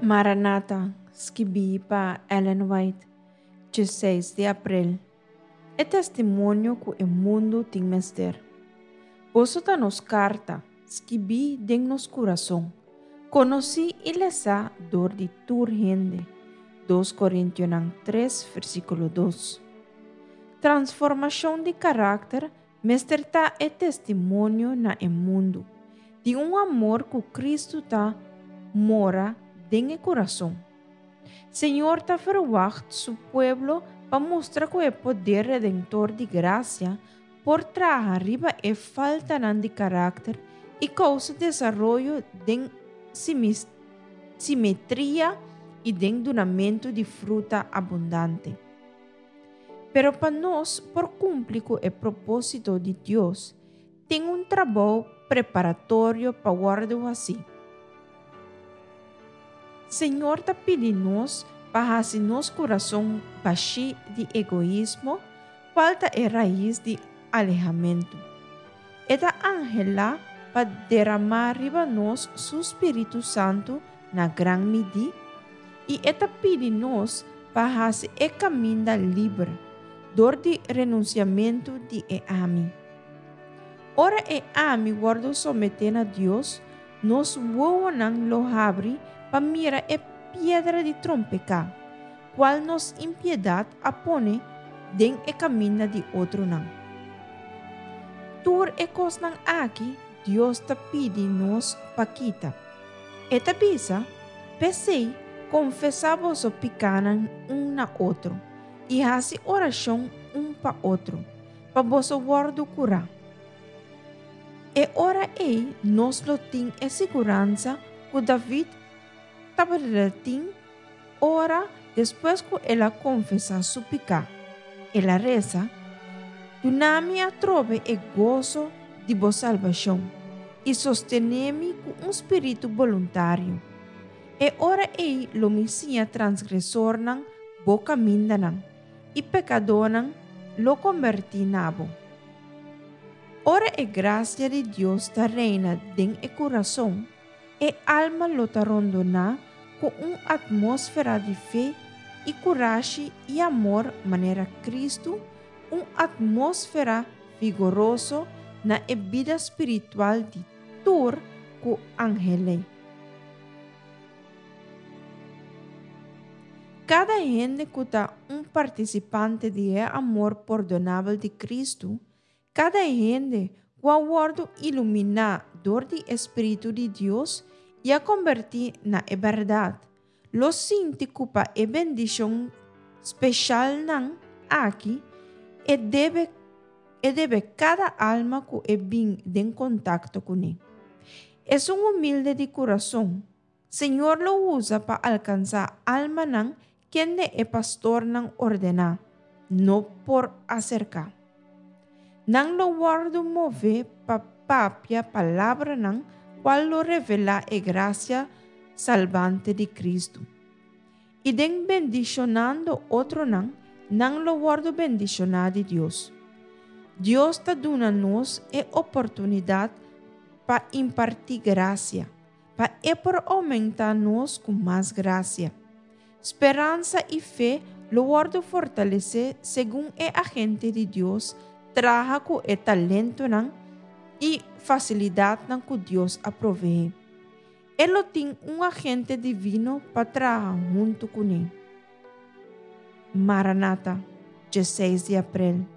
Maranata, skibí pa Ellen White, 16 di aprel. E testimonio ku e mundu tin mester. Boso ta nos karta, skibí den nos kurason, konosí i lesá dor di tur hende. 2 Korintionan 3, versíkulo 2. Transformashon di karakter mester ta e testimonio na e mundu di un amor ku Kristu ta mora den e kurason. Señor ta ferwagt su pueblo pa mustra ku e poder redentor di grasia por traha riba e faltanan di karakter i kousa desaroyo den simetria i den dunamentu di fruta abundante. Pero pa nos por kumpli ku e propósito di Dios, tin un trabou preparatorio pa wòrdu hasí. Señor ta pidi nos pa hasi nos kurason bashí di egoismo, kual ta e rais di alehamentu. E ta anhelá pa deramá riba nos su spiritu santu na gran midí, i e ta pidi nos pa hasi e kaminda liber dor di renunsiamentu di e ami. Ora e ami wòrdu someté na Dios, nos wowonan lo habri pa mira e piedra di trompeká, kual nos impiedat a pone den e kaminda di otronan. Tur e kosnan aki Dios ta pidi nos pa kita. E ta bisa, P'esei, konfesá boso pikánan un na otro, i hasi orashon un pa otro, pa boso wòrdu kurá. E ora ei nos lo tin e siguransa ku David tabata tin ora despues ku el a konfesá su piká. El a resa, Duna mi atrobe e goso di bo salbashon i sostené mi ku un spiritu boluntario. E ora ei lo mi siña transgresornan bo kamindanan i pekadónan lo kombertí na bo. Ora e grasia di Dios ta reina den e kurason, e alma lo ta rondoná ku un atmósfera di fe i kurashi i amor manera Kristu, un atmósfera vigoroso na e bida spiritual di tur ku anhel'é. Kada hende ku ta un partisipante di e amor pordonabel di Kristu, Kada hende ku a wòrdu iluminá dor di e spiritu di Dios i a kombertí na e bèrdat, lo sinti ku pa e bendishon speshalnan aki e debe e debe kada alma ku e bin den kontakto kuné. Esun humilde di kurason, Señor lo usa pa alkansá almanan kende e pastornan ordená no por aserká. Nan lo wòrdu mové pa papia palabranan kual lo revelá e grasia salbante di Kristu. I den bendishonando otronan, nan lo wòrdu bendishoná di Dios. Dios ta duna nos e oportunidat pa impartí grasia. Pa e por oumentá nos ku mas grasia. Speransa i fe lo wòrdu fortalesé segun e agente di Dios traha ku e talentonan i fasilidatnan ku Dios a proveé. E lo tin un agente divino pa traha huntu kuné. Maranata, 16 di aprel.